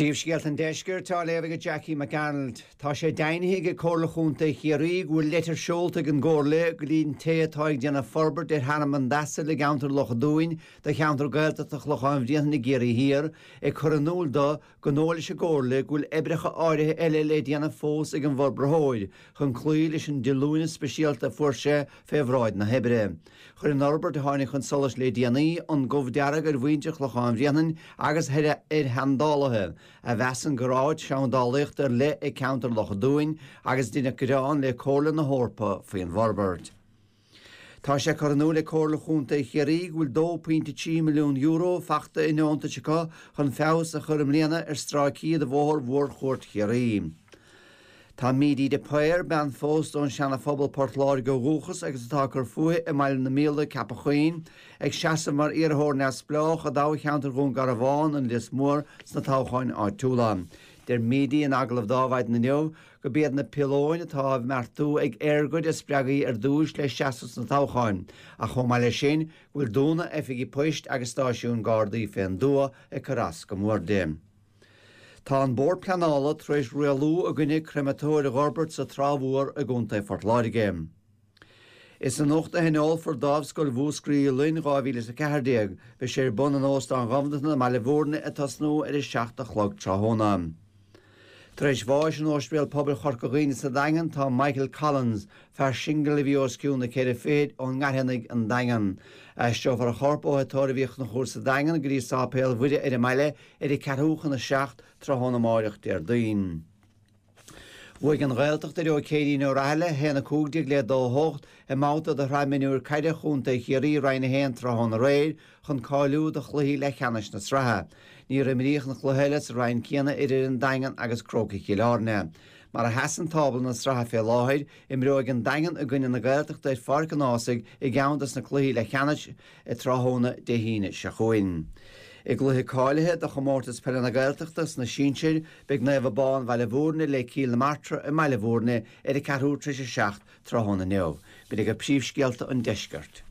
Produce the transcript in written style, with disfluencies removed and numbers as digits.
Príomhscéalta an Deiscirt á léamh ag Jackie McArnold. Tá sé deimhnithe ag Comhairle Chontae Chiarraí go bhfuil leitir seolta ag an gComhairle go dtí an té atá ag déanamh forbairt ar Thearmann d'Asail i gceantar Loch a' Dúin do cheantar Gaeltachta Chlochán Bhrianain i gCiarraí Thiar ag cur in iúl do go ndóigh leis an gComhairle go bhfuil oibreacha áirithe eile le déanamh fós ag an bhforbraitheoir chun cloí leis an díolúine speisialta a fuair sé fé bhráid na hoibre. Chuir an fhorbairt a tháinig chun solais le déanaí an gomh dearg ar mhuintir Chlochán Bhrianain agus ar sheandálaithe, a mheasann gur áit seandálaíochta ar leith é ceantar Loch a' Dúin agus deineadh gearán le Comhairle na hEorpa faoin bhforbairt. Tá sé curtha in iúl ag Comhairle Chontae Chiarraí go bhfuil €2.3 milliún fachta i ndeontais acu chun feabhas a chur i mbliana ar stráicí de bhóthar Mhórchuairt Chiarraí. Tá Mídí de Paor, bean phósta ón Seana Phobal, Port Láirge ó dhúchas agus atá ag cur fúithi i mBaile na Míola, Ceapach Chuinn, ag seasamh mar iarrthóir neamhspleách i dtoghcheantar Dhún Garbhán, An Lios Mór sna toghcháin áitiúla. Deir Mídí in agallamh do Adhmhaidin inniu Gurb iad na piolóin atá á mbeartú ag EirGrid a spreag í ar dtúis le seasamh sna toghcháin, ach chomh maith leis sin, go bhfuil dúnadh oifigí poist agus stáisiúin Gardaí fén dtuath ag cur as go mór di. Tá an Bord Pleanála tar éis rialú i gcoinne créamatóir a dh'fhorbairt sa Trá Mhór i gContae Phort Láirge. Is anocht a thionólfar Dámhscoil Mhúscraí Uí Fhloinn 2014. Beidh sé ar bun in Óstán Dhomhnachtan i mBaile Bhúirne ag tosnú ar a 7 a chlog tráthnóna. Tar éis bháis in Ospidéal Pobail Chorca Dhuibhne sa Daingean tá Michael Collins, fear singil a bhí os cionn na ceithre fichid ón nGairfeanaigh an Daingean. Aistreofar a chorp ó Thigh Tórraimh Uí Chonchúir sa Daingean go dtí Sáipéal Mhuire ar an mbaile ar a ceathrú chun a 7 tráthnóna amáireach Déardaoin. Bhuaigh an Ghaeltacht ar Ó Céirín Ó Rathaille, 1-15 le 2-8, i mbabhta de Shraith Mionúir Caide Chontae Chiarraí Roinn 1 tráthnóna aréir chun cáiliú do chluichí leathcheannais na sraithe. Níor imríodh an cluiche eile sa roinn céanna idir an Daingean agus Crócaigh Chill Airne. Mar a sheasann tábla na sraithe fé láthair, imreoidh an Daingean i gcoinne na Gaeltachta ar Pháirc an Ághasaigh i gceann dos na cluichí leathcheannais tráthnóna Dé hAoine seo chugainn. I gcluiche cáilithe do Chomórtas Peile na Gaeltachta sna sinsir, beidh Naomh Abán Bhaile Bhúirne le Cill na Martra i mBaile Bhúirne ar a ceathrú tar éis a 7 tráthnóna inniu. B'in agaibh príomhscéalta an deiscirt.